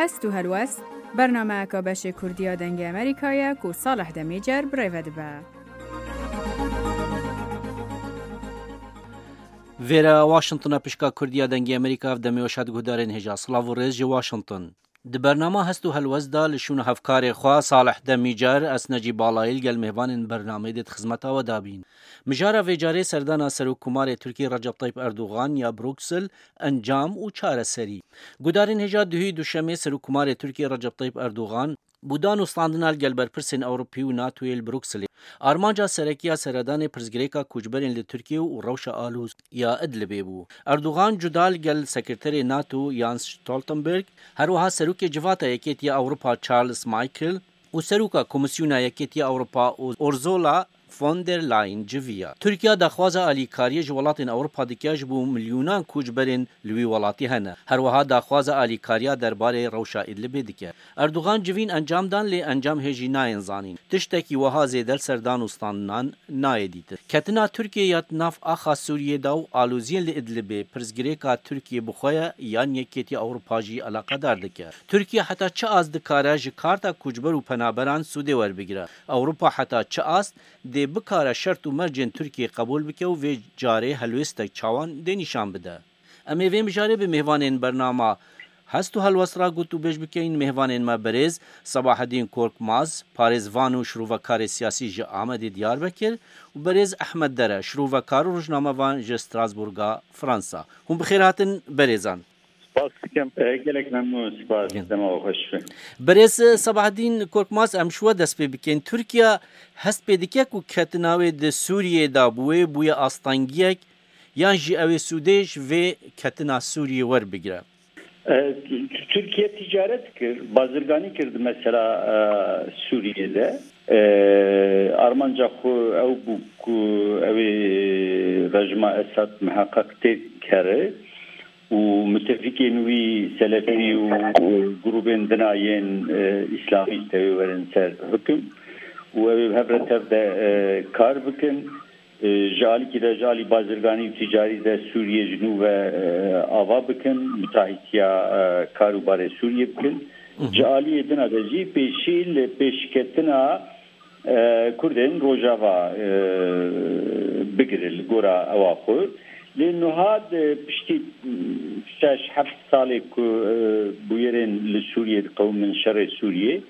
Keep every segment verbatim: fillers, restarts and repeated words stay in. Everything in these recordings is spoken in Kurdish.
Hest û helwest, bernameyeka beşê Kurdî ya Dengê Amerîka ye ku Salih Demîcer bi rê ve dibe. Vêre Washington e, pişka Kurdî ya Dengê Amerîka, ev demê weş hat guhdarên hêja. Silav û rêz ji Washington. Di bernama Hest û Helwest de li şûna hevkarê xwe Salih Demîcer, ez Necî Balayî li gel mêvanên bernameyê dê di xizmeta we de bîn. Mijara vê carê serdana Serokkomarê Tirkiyê Recep Tayyip Erdogan ya Bruksel, encam û çareserî. Gudarên hêja, duhî Duşemê Serokkomarê Tirkiyê Recep Tayyip Erdogan bû dan û standina li gel berpirsên Ewropî û NATOyê li Brukselê. Armanca serekî ya seredanê pirsgirêka koçberên li Tirkiye û rewşa alûz ya Idlibê bû. Erdogan cuda li gel sekreterê NATO Jens Stoltenberg, her wiha serokê civata Yekêtiya Ewropa Charles Michel û seroka Komîsyona Yekêtiya Ewropa Ursula von der Leyen civiya. Tirkiye daxwaza alîkariyê ji welatên Ewropa dike, ji bo milyonan koçberên li wî welatî hene. Her wiha daxwaza alîkariya derbarê rewşa Idlibê dike. Erdogan civîn encam dan, lê encam hêjî nayên zanîn. Tiştekî wiha zêde li ser dan û standinan nayê dîtin. Ketina Tirkiyê ya di nav axa Sûriyê de û aloziyên li Idlibê pirsgirêka Tirkiyê bi xwe ye yan Yekêtiya Ewropa jî eleqedar dike? Tirkiye heta çi ast dikare ji karta koçber û penaberan sûdê werbigire? Ewropa heta çi ast dê bikare şert û mercên Tirkiyê qebûl bike û vê carê helwêstek çawan dê nîşan bide? Em ê vê mijarê bi mêvanên bernama Hest û Helwest re gotûbêj bikeyin. Mêvanên me berêz Sebahedîn Korkmaz, parêzvan û şirovekarê siyasî ji Amedê Diyarbekir û berêz Ehmed Dere, şirovekar û rojnamevan ji Strasbourga Fransa. Hûn bi xêr hatin berêzan. Spas dikim. E, gelek memnûn, spas. Gel. Dema we xweş be. Berêz Sebahedîn Korkmaz, em ji we dest pê bikin. Tirkiye hest pê dike ku ketina wê di Sûriyê de bi wê bûye astengiyek, yan jî ew ê sûdê ji vê ketina Sûriyê werbigire? E, T-, T-, Tirkiye ticaret kir, bazirganî kir di mesela, e, Sûriyê de. E, armanca xwe ew bû ku ew ê rejima Esad miheqeq têk here û mitefikên wî selefî û, û grûbên dina yên, e, îslamîst ew ê werin ser hukim û ew ê hev re tev de, e, kar bikin. E, ji alîkî de, ji alî bazirganî û tîcarî de Sûriyê ji nû ve, e, ava bikin, mutahîtiya, e, kar û barê Sûriyê bikin. Hı hı. Ji aliyê din a de jî pêşî li pêşketina, e, Kurdên Rojava, e, bigire li gora ewa xwe. Lê nuha di piştî, m, şeş heft salê ku, e, bûyerên li Sûriyê diqewimin şerê Sûriyê,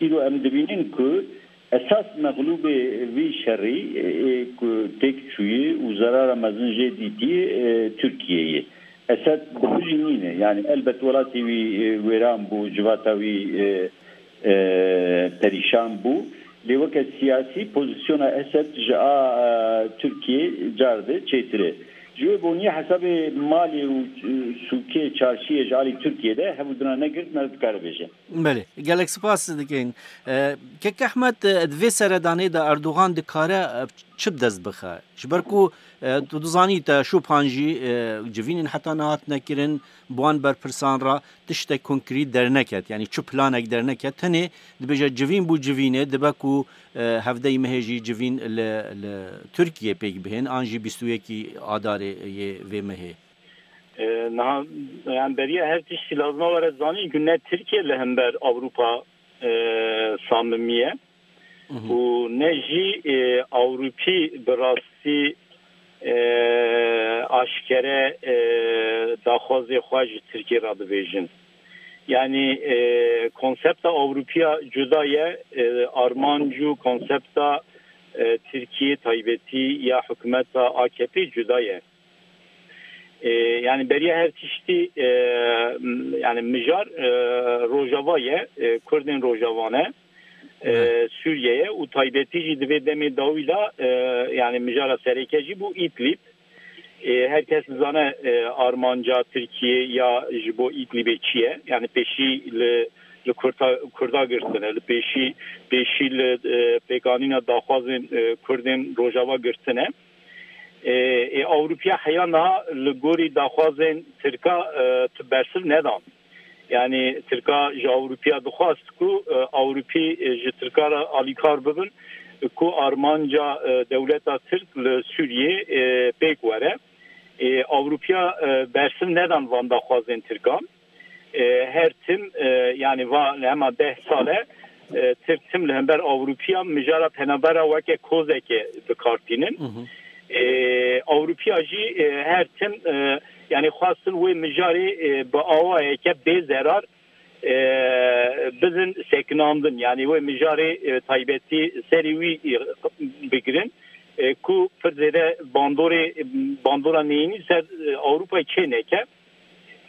îro em dibînin ku esas mexlûbê vî şerî, e, ku têk çûyî û zerara mezin jê dîtî, e, Tirkiye ye. Esed bi xwe jî nîne. Yani elbet welatê wî, e, wêran bû, civata wî, e, e, perîşan bû. Lê weke siyasî pozisyona Esed ji a, e, Tirkiye car de çêtir e. Ji wê boniyê hesabê malê û, e, sûkê, çarşiyê ji alî Tirkiye de hevûdina negirt me dikare bêje. Belê, gelek spas dikin. E, Kek Ehmed, e, di vê seredanê de Erdogan dikare, e, çi bi dest bixe? Ji ber ku, e, tu dizanî te şûpan jî, e, civînên heta niha hatine kirin, bi wan berpirsan re tiştek konkrît derneket. Yanî çi planek derneket. Tenê dibêje civîn bû civînê, dibe ku, e, hevdeyî mehê jî civîn li, li Tirkiye pêk bihên, an jî bîst û yekî Adarê yê vê mehê. E, niha, yani beriya her tiştî lazima were zanîn ku ne Tirkiye li hember Ewropa, e, samimî ye. Mhm. Û ne jî, e, Ewropî bi rastî, e, aşkere, e, daxwazê xwe ji Tirkiye re dibêjin. Yani, e, konsepta Ewropiya cuda ye, e, armanc û konsepta, e, Tirkiye taybetî ya hikûmeta A K P cuda ye. E, yani beriya her tiştî, e, m-, yani mijar, e, Rojava ye, e, Kurdên Rojava ne, e, Evet. Sûriye ye û taybetî jî di vê demê dawî de, e, yani mijara sereke jî bû Îdlîb. E, her kes dizane, e, armanca Tirkiye ya ji bo Îdlîbê çi ye? Yani pêşî li, li Kurda, Kurda girtine, li pêşî, pêşî li, e, pêkanîna daxwazên, e, Kurdên Rojava girtine. E, e, Ewropiya heya niha li gorî daxwazên Tirka, e, tu bersiv nedan. Yani Tirka ji Ewropiya dixwast ku, e, Ewropî, e, ji Tirka re alîkar bibin, ku armanca, e, dewleta Tirk li Sûriyê, e, pêk were. E, Ewropiya, e, bersiv nedan van daxwazên Tirkan. E, her tim, e, yani va hema deh sal e, e, Tirk tim li hember Ewropiya mijara penabera weke kozeke bi kar tînin. Hı hı. E, Ewropiya jî, e, her tim, e, yani xwestin wê mijarê, e, bi awayeke bê zerar, e, bidin sekinandin. Yani wê mijarê, e, taybetî serê wî, e, bigirin, e, ku pir zêde bandorê, bandora neyînî ser, e, Ewropayê çê neke.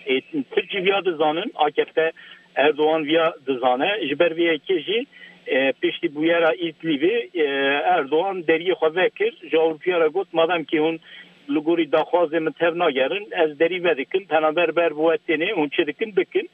E, Tirkî viya dizanin, A K P Erdogan viya dizane. Ji ber vê yekê jî, e, piştî bûyera Îdlîbê, e, Erdogan deriyê xwe vekir, ji Ewropiya re got, madem kî hûn li gorî daxwazê min tev nagerin, ez derî vedikim, penaber ber bi we tênê, hûn çi dikin bikin.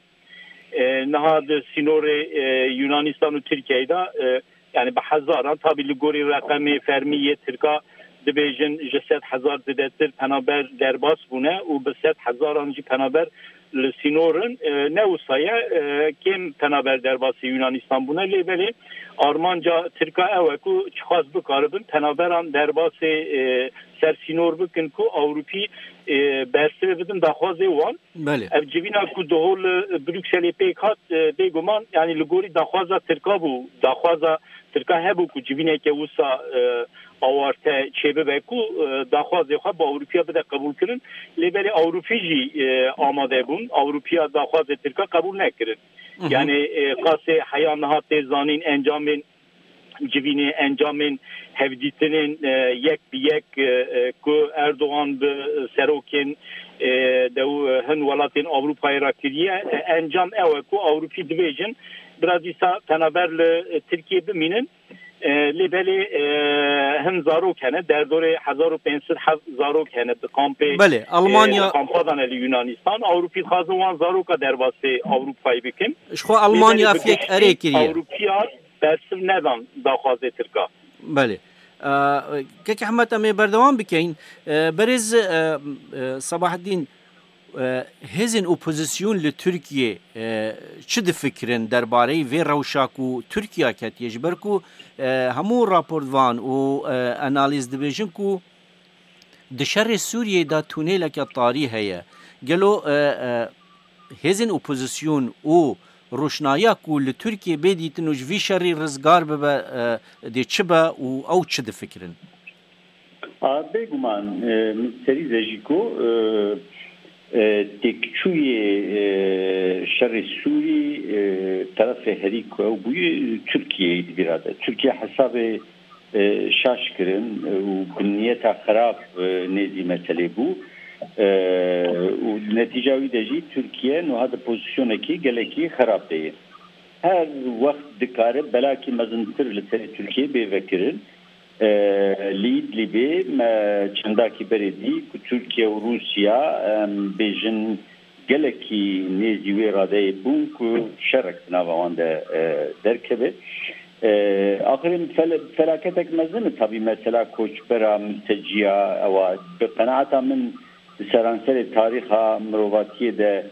E, niha di sînorê, e, Yunanistan û Tirkiyeyê de, e, yani bi hezaran, tabî li gorî reqemê fermî yê Tirka dibêjin ji sed hezar zêdetir penaber derbas bûne û bi sed hezaran jî penaber li sînor in. E, ne wisa ye, e, kêm penaber derbasê Yunanistan bûne, lê belê armanca Tirka ew e ku çiqas bikaribin penaberan derbasê, e, ser sînor bikin ku Ewropî, e, bersivê bidin daxwazê wan. Belê. Ev civîna ku di hol Brukselê pêk hat, e, bêguman, yani li gorî daxwaza Tirka bû. Daxwaza Tirka hebû ku civîneke wisa, e, awarte çêbibe ku, e, daxwazê xwe bi Ewropiya bide qebûlkirin. Lê belê Ewropî jî, e, amade bûn. Ewropiya daxwazê Tirka qebûl nekirin. Hı hı. Yani, e, qasê heya niha tê zanîn encamên civînê, encamên hevdîtinên, e, yek bi yek, e, e, ku Erdogan bi serokên, e, dew, e, hin welatên Ewropayê re kiriye, e, encam ew e ku Ewropî dibêjin, bira dîsa penaber li, e, Tirkiyê bimînin. E, lê belê, e, hin zarok hene, derdorê hezar û pênc sed heb zarok hene di kampê, Belê, e, Almanya kampa dane li Yunanistan. Ewropî dixwazin wan zaroka derbasê Ewropayê bikin. Ji xwe Almanya Lê belê bi fiyek giştî erê kiriye. Ewropiya bersiv nedan daxwazê Tirka. Belê. Ee, Kek Ehmed, em ê berdewam bikeyin. Ee, berêz, e, e, Sabaheddîn, e, hêzên opozîsyon li Tirkiyê, e, çi difikirin derbareyî vê rewşa ku Tirkiye ketiye? Ji ber ku, e, hemû raportvan û, e, analîz dibêjin ku di şerê Sûriyeyê de tûnêleke tarî heye. Gelo, e, e, hêzên opozîsyon û roşnahiya ku li Tirkiyê bê dîtin û ji vî şerî rizgar bibe, e, dê çi be û ew çi difikirin? A, bêguman, e, min serî de jî got, e, e, têkçûyê, e, şerê Sûrî, e, terefê herî ku ew bûye, Tirkiyeyê di vîra de. Tirkiye hesabê, e, şaş kirin, e, û bi niyeta xerab, e, nêzî meselê bû. E, û netîca wî de jî Tirkiye niha di pozîsyonekî gelekî xerab de ye. Her wext dikare belakî mezintir li serê Tirkiyê bê vekirin. E, li Îdlîbê me çendakî berê dî ku Tirkiye û Rûsya, em bêjin, gelekî nêzî wê radeyê bûn ku şerek di nava wan de, e, derkeve. E, axirê fel-, felaketek mezin e tabî mesela koçbera, mülteciya, ewa bi qenaeta min di seranserê tarîxa mirovatiyê de,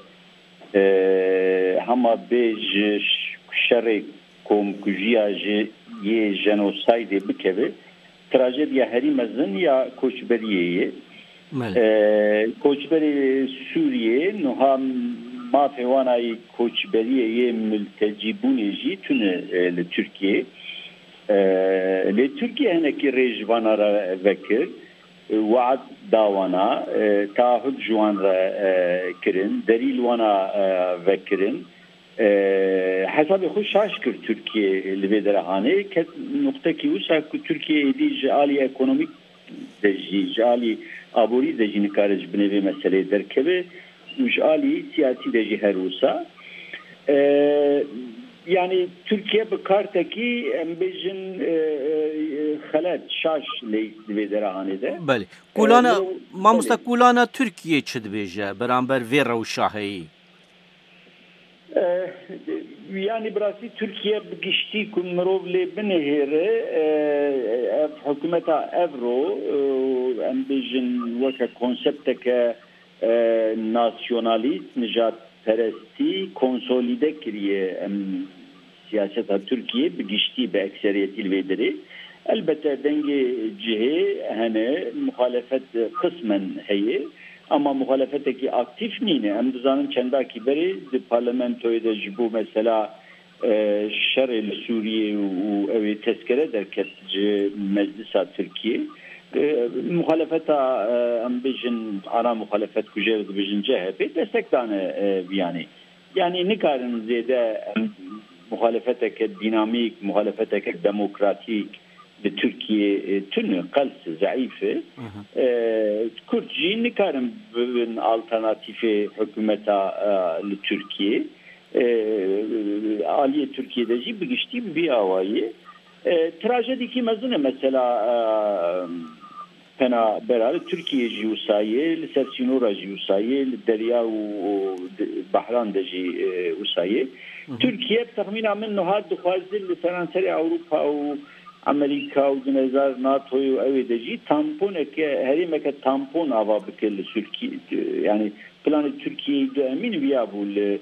e, hema bê ji ş-, şerê komkujiya ji yê jenosaydê bikeve, trajediya herî mezin ya koçberiyê ye. Belê. E, koçberê Sûriyê niha mafê wana yê koçberiyê yê miltecîbûnê jî tune, e, li Tirkiyê. E, lê Tirkiye hinekî rê ji vana re vekir, e, we'd da wana, e, taahhud ji wan re, e, kirin, derî li wana, e, vekirin. E, hesabê xwe şaş kir Tirkiye li vê derehanê. Ket nuqtekî wisa ku Tirkiye êdî ji alî ekonomîk de jî, ji alî aborî de jî nikare ji binê vê meseleyê derkeve û ji alî siyasî de jî her wisa. E, yani Tirkiye bi kartekî, em bêjin, e, e, xelet, şaş leyîst di vê derehanê de. Belê. Kulana, E, mamosta, belê. Kulana Tirkiye çi dibêje beramber vê rewşa heyî? Eh, yani bi rastî Tirkiye bi giştî ku mirov lê binihêre, eh, ev hikûmeta Evro, eh, em bêjin weke konsepteke, eh, nasyonalîst, nijadperestî konsolîde kiriye. Em siyaseta Tirkiye bi giştî, bi ekseriyetî li vê derê. Elbette dengê cihê hene, muxalefet qismen heye. Ama muxalefetekî aktîf nîne. Em dizanin çendakî berê di parlamentoyê de ji bo mesela, e, şerê li Sûriyê û, û ew ê tezkere derket ji Meclisa Tirkiyê. E, muxalefeta, e, em bêjin, ana muxalefet ku jê re dibêjin C H P, destek dane, e, viyanê. Yanî nikarin zêde, em, muxalefeteke dînamîk, muxalefeteke demokratîk, li Tirkiyê, e, tune, qels, zeîf e. E, Kurd jî nikarin bibin alternatîfê hikûmeta, e, li Tirkiyê. E, aliyê Tirkiyê de jî bi giştî bi vî awayî. E, trajedîkî mezin e mesela, e, penabera li Tirkiyê jî wisa ye, li ser sînora jî wisa ye, li derya û, û di-, behran de jî, e, wisa ye. Tirkiye, bi texmîna min, niha dixwaze li seranserê Ewropa û Amerîka û di nêzar NATOyê û ewê de jî tamponeke, herêmeke tampon ava bike li Sûrkî-, yanî planê Tirkiyeyê du emîn viya bû li,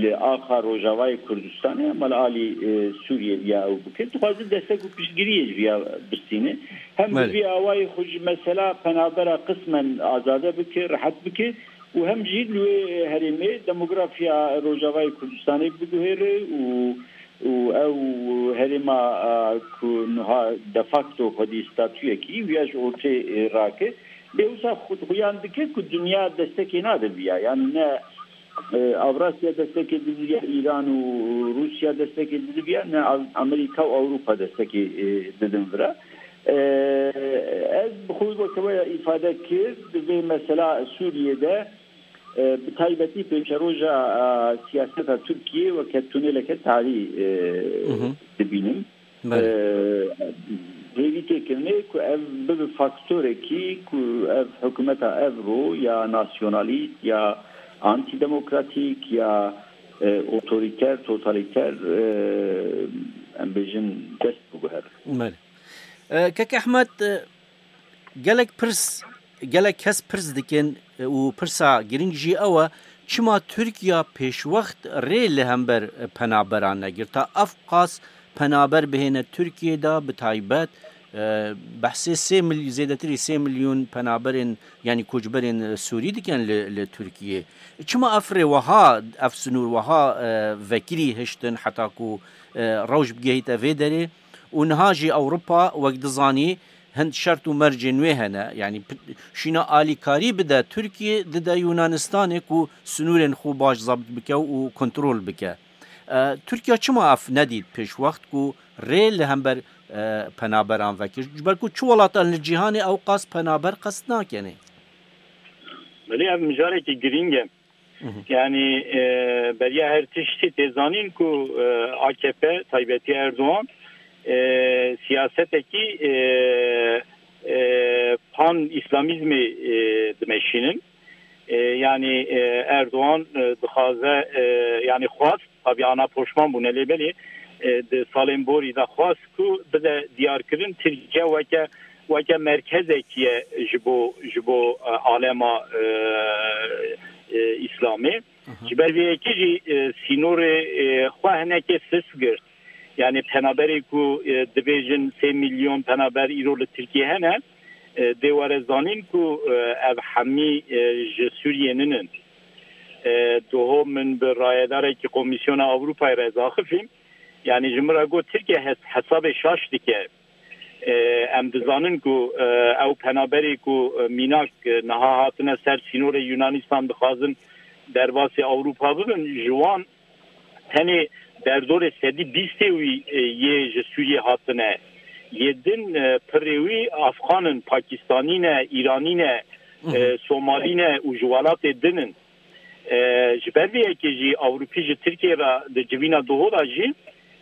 li axa Rojavayê Kurdistanê, hema li alî, e, Sûriyê viya ew bike. Dixwaze destek û piştgiriyê ji viya bistîne. Hem bi Belê. vî awayê xwe ji mesela penabera qismen azade bike, rehet bike û hem jî li wê herêmê demografiya Rojavayê Kurdistanê biguhêre û, û ew herêma, a, ku niha de facto xwedî statuyekî wiya ji ortê, e, rake. Lê wisa xu-, xuyan dike ku dinya destekê nade viya. Yanî ne, e, Avrasya destekê didiviya, Îran û Rûsya destekê didiviya, ne Av-, Amerîka û Ewropa destekê, e, didin vira. E, Ez bi xwe weke we ya îfade kir, di vê mesela Sûriyê de, e, bi taybetî pêşeroja, e, siyaseta Tirkiyê weke tuneleke tarî, e, Mhm. dibînim. Belê. E, Hêvî têkirinê ku ev bibe faktorekî ku ev hikûmeta evro ya nasyonalîst ya antidemokratîk ya, e, otorîter, totalîter, e, em bêjin dest biguhere. Belê. E, Kek Ehmed, e, gelek pirs, gelek kes pirs dikin, e, û pirsa giring jî ew e, çima Tirkiye pêşwext rê li hember, e, penaberan negirta? Ev qas penaber bihêne Tirkiyê de, bi taybet, e, behsê sê mil-, zêdetirî sê milyon penaberên, yanî koçberên, e, Sûrî dikin li, li Tirkiyê. Çima ev rê wiha, ev sinûr wiha, e, vekirî hiştin heta ku, e, rewş bigihîte vê derê? Û niha jî Ewropa, wek dizanî, hin şert û mercên wê hene. Yanî p-, şîna alîkarî bide Tirkiyê, dide Yunanistanê ku sinûrên xwe baş zebt bike û kontrol bike. E, Tirkiye çima ev nedît pêşwext ku rê li hember, e, penaberan vekir? Ji ber ku çi welatan li cîhanê ew qas penaber qest nakenê? Belê, ev mijarekî girîng e. Mhm. Yanî, e, beriya her tiştî tê zanîn ku, e, A K P, taybetî Erdogan, e, siyasetekî, e, e, pan-îslamîzmê, e, dimeşînin. E, yanî, e, Erdogan, e, dixwaze, e, yanî xwest, tabî ana poşman bûne, lê belê, e, di salên borî de xwest ku bide diyarkirin Tirkiye weke, weke merkezekî ye ji bo, ji bo, e, alema, e, e, Îslamê. Aha. Ji ber vê yekê jî, e, sînorê, e, xwe hinekê sist girt. Yanî penaberê ku, e, dibêjin sê milyon penaber îro li Tirkiyê hene, e, dê were zanîn ku, e, ev hemî, e, ji Sûriyê ninin. E, doho min bi rayedarekî Komîsyona Ewropayê re ez axifîm. Yanî ji min re got Tirkiye hes-, hesabê şaş dike. E, em dizanin ku, e, ew penaberê ku, e, mînak, e, niha hatine ser sînorê Yunanistan dixwazin derbasî Ewropa bibin, ji wan tenê derdorê sedî bîstê wî, e, yê ji Sûriyê hatine. Yê din, e, pirê wî Afxan in, Pakistanî ne, Îranî ne, e, Somalî ne û ji welatê din in. E, ji ber vê yekê jî Ewropî ji Tirkiyê re di civîna doho de jî,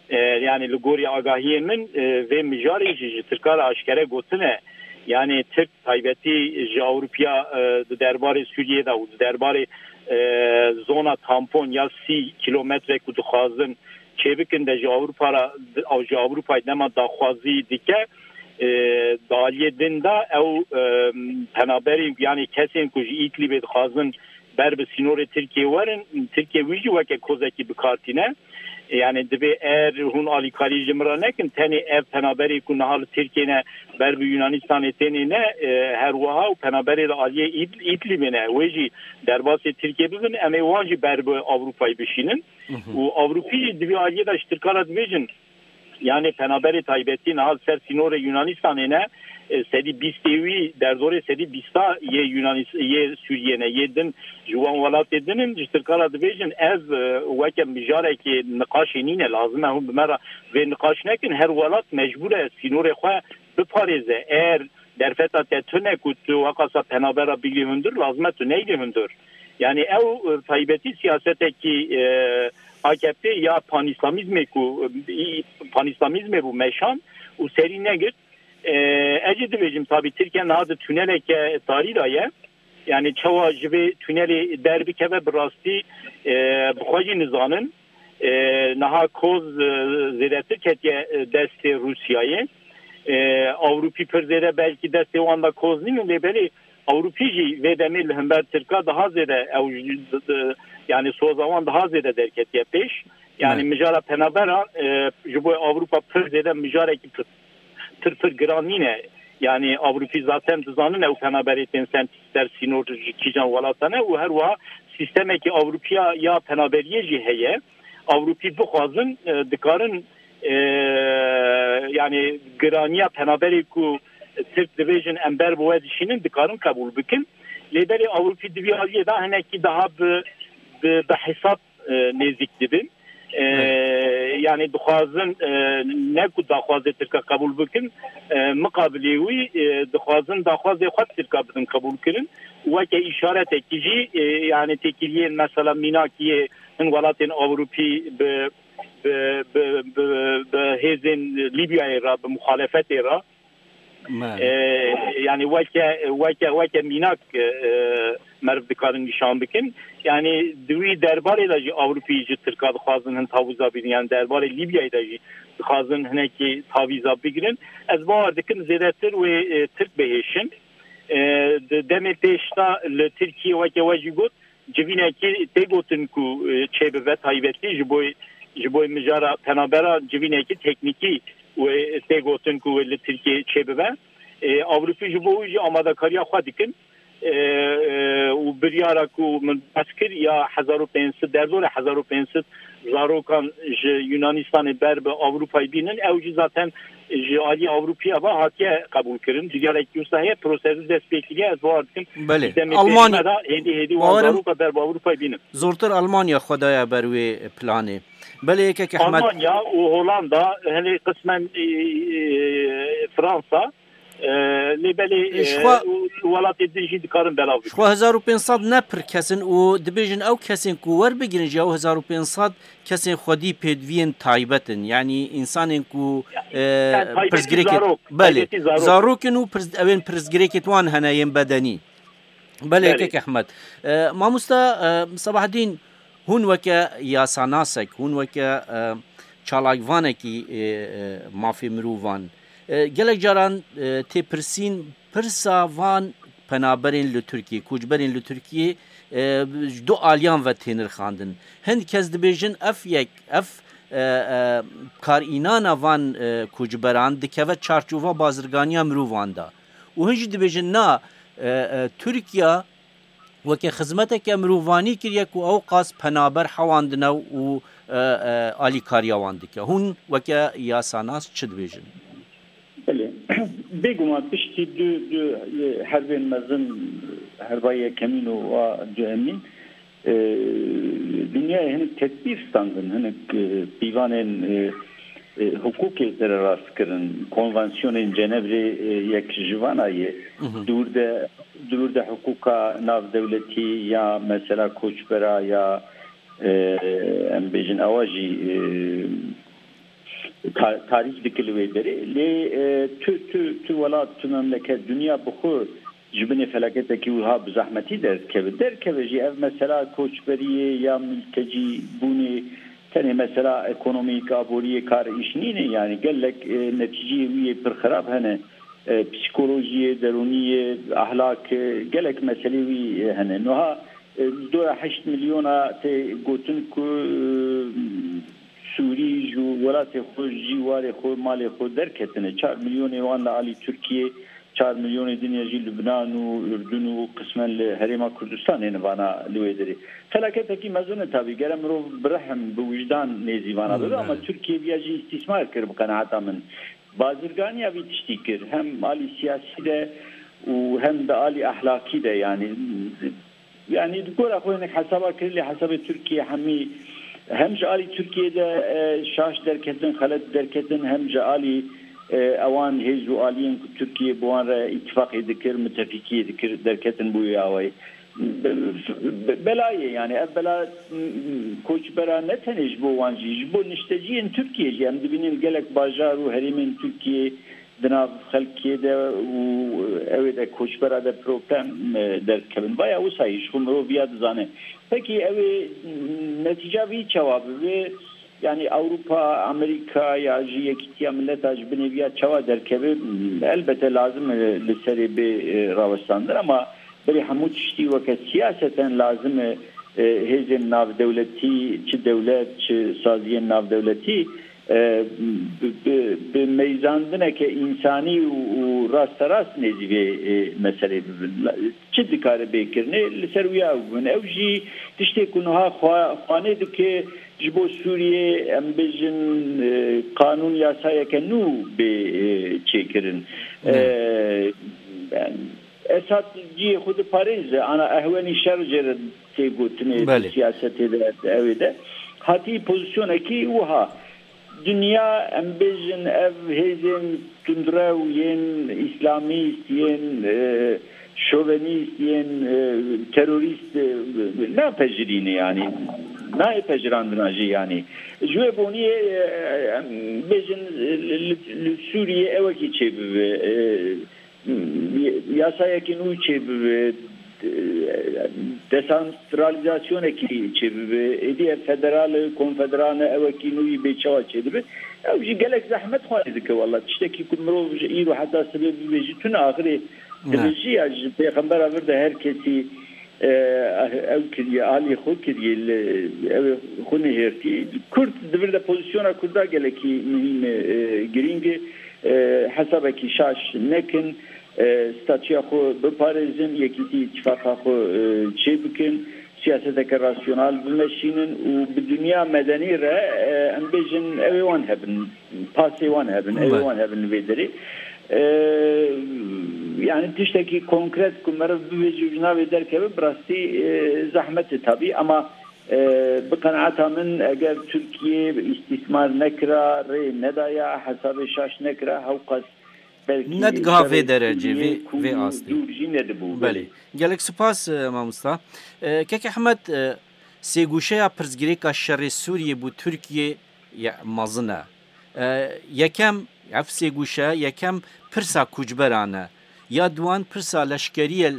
e, yanî li gorî agahiyê min, e, vê mijarê jî ji Tirka re aşkere gotine. Yanî Tirk taybetî ji Ewropiya, e, di derbarê Sûriyê de û di derbarê, e, zona tampon ya sî kîlometre ku dixwazin çêbikin de ji Ewropa re, ji Ewropayê dema daxwazî dike, e, di aliyê din de ew, e, penaberî, yanî kesên ku ji Îdlibê dixwazin ber bi sînorê Tirkiyê werin, Tirkiye wî jî weke kozekî bi kar tîne. Yani divê er hûn alîkarî ji min re nekin, tenê ev penaberê ku niha li Tirkiyê ne ber bi Yunanistanê tênê ne, e, her wiha û penaberê li aliyê Îd-, Îdlibê ne. Wê jî derbasê Tirkiyê bibin, em ê wan jî ber bi Ewropayê bişînin. Û Ewropî jî di vî aliyê de ji Tirkan re dibêjin, yani penaberê taybetî niha li ser sînorê Yunanistanê ne, e, sedî bîstê wî, derdorê sedî bîsta yê Yunanis-, yê Sûriyê ne, yê din ji wan welatê din in, ji Tirkan re dibêjin, ev, e, weke mijarekê niqaşê nîne, lazim e hûn bi me re vê niqaş nekin, her welat mecbûr e sînorê xwe biparêze. Eğer derfeta te tune ku tu wekasa penabera bigirî hundir, lazim e tu neylî hundir. Yani ew, e, taybetî siyasetekî, e, A K P ya panîslamîzmê ku, e, panîslamîzmê bû meşan û serî negirt. E, ez jî dibêjim, tabî Tirkiye niha di tuneleke tarî de ye. Yani çawa ji vê tunelê derbikeve, bi rastî, e, bi xwe jî nizanin. E, niha koz, e, zêdetir ketiye, e, destê Rûsyayê. E, Ewropî pir zêde belkî destê wan de koz nînin, lê belê Ewropî jî vê demê li hember Tirka daha zêde, ew ji, di, di, yani soza wan daha zêde derketiye pêş. Yani mijara penabera, e, ji bo Ewropa pir zêde mijarekî pir, pir, pir giran nîne. Yani Ewropî zaten dizanin ew penaberê tên sen ser sînor ji kîjan welata ne û her wiha sîstemekî Ewropiya ya penaberiyê jî heye. Ewropî bixwazin, e, dikarin, e, yani giraniya penaberê ku Tirk dibêjin em ber bi we dişînin, dikarin qebûl bikin. Lê belê Ewropî di vî aliyê de hinekî daha bi, bi, bi hesab, e, nêzîk dibin. E, Evet. Yani dixwazin, e, ne ku daxwazê Tirka qebûl bikin, e, miqabilê wî, e, dixwazin daxwazê xwe Tirka bidin qebûl kirin. Weke îşaretekî jî, e, yani têkiliyên mesela mînakî yê hin welatên Ewropî bi, bi, bi, bi, bi hêzên Lîbyayê re, bi muxalefetê re, Me. E, yani weke, weke, weke mînak, e, meriv dikarin nîşan bikin. Yani di wî derbarê de jî Ewropî ji Tirka dixwazin hin tavîza bigrin. Yani derbarê Lîbyayê de jî dixwazin hinekî tavîza bigrin. Ez bawer dikim zêdetir wê, e, Tirk bihêşin. E, di demê pêş de li Tirkiye weke we jî got, civînekî tê gotin ku, e, çêbibe taybetî ji bo, ji bo mijara penabera civînekî teknîkî wê tê gotin ku wê li Tirkiyê çêbibe. E, Ewropî ji bo wî jî amadekariya xwe dikin. E, e, û biryara ku min behs kir ya hezar û pênc sed, derdorê hezar û pênc sed zarokan ji Yunanistanê ber bi Ewropayê bînin, ew jî zaten ji alî Ewropiya ve hatiye qebûlkirin. Diyarek wisa heye, prosesî dest pê kiriye, ez bawer dikim. Belê. Îdemê Almanya pêşî me de hêdî hêdî wan Bawerim zaroka ber bi Ewropayê bînin. Zortir Almanya xwe daye ber wê planê. Belê yekek Ehmed. Almanya û Hollanda, hinê qismen, e, e, Fransa, e, lê belê, E, e, ji xwe û welatê din jî dikarin belav bikin. Ji xwe hezar û pênc sed ne pir kes in û dibêjin ew kesên ku werbigirin ji ew hezar û pênc sed kesên xwedî pêdiviyên taybet in. Yanî însanên ku, e, Yani taybetî pirsgirêkê, zarok, belê, taybetî zarok. Zarok in û pirs-, ew ên pirsgirêkê wan hene yên bedenî. Belê, Belê. Kek Ehmed. E, mamosta, e, Sebahdîn, hûn weke yasanasek, hûn weke, e, çalakvanekî, e, e, mafê mirovan, e, gelek caran, e, tê pirsîn, pirsa van penaberên li Tirkiyê, koçberên li Tirkiyê, e, ji du aliyan ve tê nirxandin. Hin kes dibêjin ev yek, ev, e, e, karînana van, e, koçberan dikeve çarçova bazirganiya mirovan de. Û hin jî dibêjin na, e, e, Tirkiye weke xizmeteke mirovanî kiriye ku ew qas penaber hewandine û, e, e, alîkariya wan dike. Hûn weke yasanas çi dibêjin? Belê. Bêguman piştî du, du, e, herbên mezin, herba yekemîn û wa duhemîn, e, dinyayê hinek tedbîr standin, hinek, e, pîvanên, e, e, hukukê sererast kirin, konvansiyonên Cenevrê, e, yek ji vana ye. Hı hı. Dûr de, dûr de hukuka navdewletî ya mesela koçbera ya, e, em bêjin ewa jî, e, ta-, tarîf dike li wê derê. Lê, e, tu, tu, tu welat, tu memleket, dinya bi xwe ji binê felaketekî wiha bi zehmetî derdikeve. Derkeve jî ev mesela koçberiyê ya mültecî bûnê tenê mesela ekonomîk, aboriyê kar îş nîne. Yani gelek, e, netîceyê wî yê pir xirab hene. E, psîkolojiyê, derûniyê, ahlak, e, gelek meselê wî, e, hene. Niha, e, doya heşt milyona tê gotin ku, e, Sûrî ji welatê xwe, ji warê xwe, malê xwe derketine. Çar milyonê wan li alî Tirkiyê, çar milyonê din ya jî Lubnan û Urdun û qismen li Herêma Kurdistanê ne vana li wê derê. Felaketekî mezin e tabî. Gere mirov bi rehm, bi wijdan nêzî vana bibe, ama Tirkiye viya jî îstîsmar kir bi qenaeta min. Bazirganiya vî tiştî kir. Hem alî siyasî de û hem de alî ehlakî de, yanî, yanî di gora xwe hinek hesaba kir, lê hesabê Tirkiye hemî hem ji alî Tirkiye de, e, şaş derketin, xelet derketin, hem ji alî, e, ewan hêz û aliyên ku Tirkiye bi wan re îtifaqê dikir, mitefîkiyê dikir, derketin bû wê awayî. Be-, be-, bela ye, yanî ev bela, m, koçbera ne tenê ji bo wan jî, ji bo nişteciyên Tirkiye jî. Em dibînin gelek bajar û herêmên Tirkiye di nav xelkê de û ew ê de koçbera de problem, e, derdikevin. Vaya wisa yî ji xwe mirov viya dizane. Pekî ew ê, m, netîca vî çawa bibe? Yanî Ewropa, Amerîka ya jî Yekîtiya Mileta ji binê viya çawa derkeve? Elbete lazim e li serê bê, e, rawestandin, ama berê hemû tiştî weke siyaseten lazim e, e, hêzên navdewletî, çi dewlet, çi saziyên navdewletî, e, bi, bi, bi meyzandineke însanî û, û rasterast nêzî vê, e, meselê bibin. La-, çi dikare bê kirinê, li ser wiya ew bibin. Ew jî tiştê ku niha xwe-, xwanê dike, ji bo Sûriyê, em bêjin, e, qanûn yasayeke nû bê, e, çêkirin. Ne. E, yani, Esad cihê xwe diparêze, ana ehwenî şer jê re tê gotinê, Belê. Siyasetê de, ew ê de. Hatî pozisyonekî wiha. Dinya, em bêjin, ev hêzên tundrew yên îslamîst, yên, e, şovenîst, yên, e, terorîst, e, napejirîne, yanî nayê pejirandina jî, yanî. Ji wê boniyê, e, em bêjin, li, li, li Sûriyê ewekî çêbibe, e, yasayekî nû çêbibe, desantralîzasyonekî çêbibe, êdî ev federal e, konfederal e, ewekî nû yî bê çawa çêdibe. Ew jî gelek zehmet xwarî dike wela. Tiştekî ku mirov ji îro heta sibê bibêjî tune axirê Ne. dibêjî ya ji pêxembera vir de her kesî, e, ew kiriye, alî xwe kiriye, li, ew ê xwe nihêrtî. Kurd di vir de, pozisyona Kurda gelekî muhîm e, e, girîng e. E, hesabekî şaş nekin, e, statûya xwe biparêzin, yekîtî îtîfaqa xwe, e, çêbikin, siyaseteke rasyonal bimeşînin û bi dinya medenî re, e, em bêjin, ew ê wan hebin, pasê wan hebin, ew ê Belê. wan hebin li vê derê. E, yani tiştekî konkret ku meriv bibêje û ji navê derkeve, bi rastî, e, zehmet e tabî, ama, e, bi qenaeta min, eger Tirkiye îstîsmar nekira, rê nedaya, hesabê şaş nekira, hewqas belkî Ne digiha vê şerê derecê, Sûriyê vê, ku vê astê. dûr jî nedibû. Belê. Gelek spas, e, mamosta. E, Kek Ehmed, e, sêgûşeya pirsgirêka şerê Sûriyê bû Tirkiye ye mezin e. E, yekem, ev sêgûşe, yekem pirsa koçberan e. Ya duan pirsa leşkerî ye,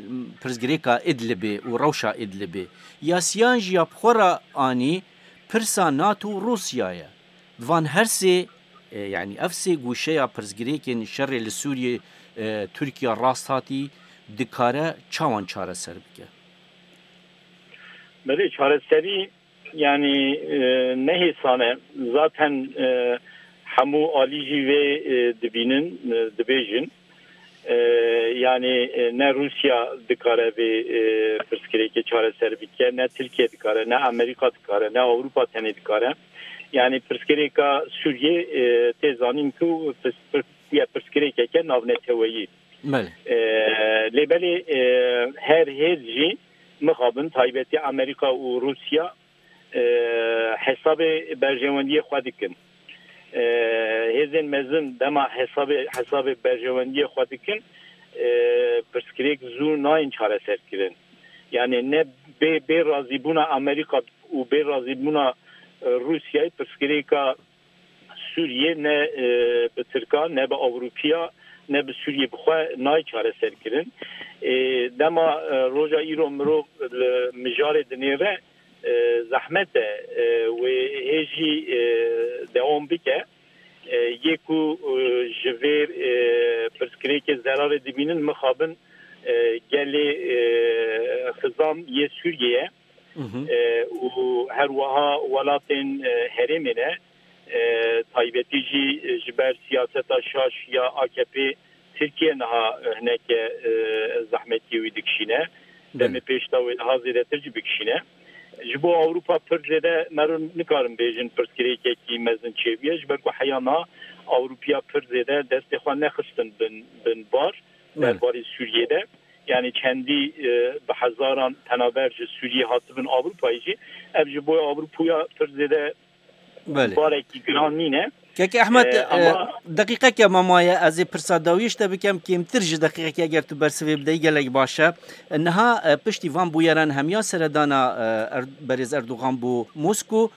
pirsgirêka Idlibê û rewşa Idlibê. Ya siyan jî ya bi xwe re anî pirsa NATO û Rûsya ye. Di van her sê, e, yanî ev sê gûşeya pirsgirêkên şerê li Sûriyê, e, Tirkiye rast hatî dikare çawan çareser bike? Belê, çareserî, yanî, e, ne hêsan e. Zaten, e, hemû alî jî vê, e, dibînin, e, dibêjin. E, yanî, e, ne Rûsya dikare vê, e, pirsgirêkê çareser bike, ne Tirkiye dikare, ne Amerîka dikare, ne Ewropa tenê dikare. Yanî pirsgirêka Sûriyê, e, tê zanîn ku pirs-, pirs-, pirsgirêkeke navneteweyî. Belê. E, lê belê, e, her hêz jî mixabin, taybetî Amerîka û Rûsya, e, hesabê berjewendiyê xwe dikin. E, hêzên mezin dema hesabê, hesabê berjewendiyê xwe dikin, e, pirsgirêk zû nayên çareserkirin. Yani ne bê, bê razîbûna Amerîka û bê razîbûna, e, Rûsyayê pirsgirêka Sûriyê ne, e, bi Tirkan, ne bi Ewropiya, ne bi Sûriyê bi xwe nayê çareserkirin. E, dema, e, roja îro mirov li mijarê dinêre, e, zehmet e, e, wê hê jî, e, dewam bike. E, yê ku, e, ji vê, e, pirsgirêkê zerarê dibînin, mixabin, e, gelê, e, xizam yê Sûriyê ye. Hı hı. E, û her wiha welatên, e, herêmê ne. E, taybetî jî ji ber siyaseta şaş ya A K P Tirkiye niha, e, hineke, e, zehmetiyê wî dikişîne. Demê pêş de wê niha zêdetir jî bikişîne. Ji bo Ewropa pir zêde mero nikarin bêjin pirsgirêkekî mezin çêbûye, ji ber ku heya me Ewropiya pir zêde destê xwe nexistin bin, bin bar, Belê. Derbarê Sûriyê de. Yani çendî, e, bi hezaran penaber ji Sûriyê hatibin Ewropayê jî. Ev ji bo Ewropuya pir zêde Belê. Barekî giran nîne. Kek Ehmed, Ee, e, ama deqîqeke me maye, ez ê pirsa dawiyê ji te bikem, kêmtir ji deqîqekê eger tu bersivê bideyî gelek baş e. Niha, e, piştî van bûyeran hemiya seredana, e, Er-, berêz Erdogan bû Mosko,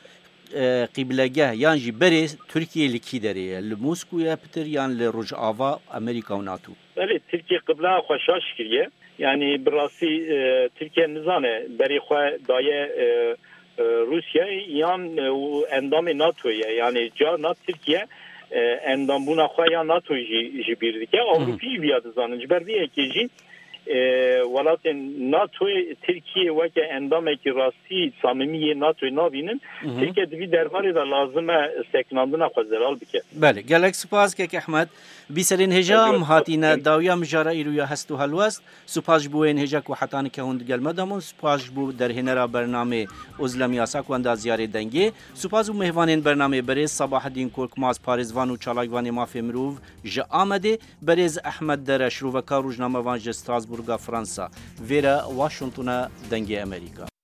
e, qîblegeh yan jî berê Tirkiye li kî derê ye? Li Mosko ye pitir yan li Rojava, Amerîka û NATO? Belê, Tirkiye qibleya xwe şaş kiriye. Yani bi rastî, e, Tirkiye nizane berê xwe daye, e, e, Rûsyayê yan, e, û endamê NATOyê ye. Yani carna Tirkiye, e, endambûna xwe ya NATOyê jî ji bîr dike. Ewropî jî viya dizanin. Ji ber vê yekê jî, e, welatên NATOyê Tirkiye weke endamekî rastî samimî yê NATOyê nabînin. Tirkiye di vî derbarê de lazim e sekinandina xwe zelal bike. Belê, gelek spas kek Ehmed. Bîserên hêja em hatîne dawiya mijara îro ya hest û helwest. Spas ji bo yên hêja ku heta nika hûn digel me de bûn. Spas ji bo derhênera bernamê Ozlem Yasak û endaziyarê dengê. Spas bo mêvanên bernamê berêz Sabahedîn Korkmaz, parêzvan û çalakvanê mafê mirov ji Amedê, berêz Ehmed Dere, şirovekar rojnamevan ji Strasbourga Fransa. Vêre Washingtona Dengê Amerîka.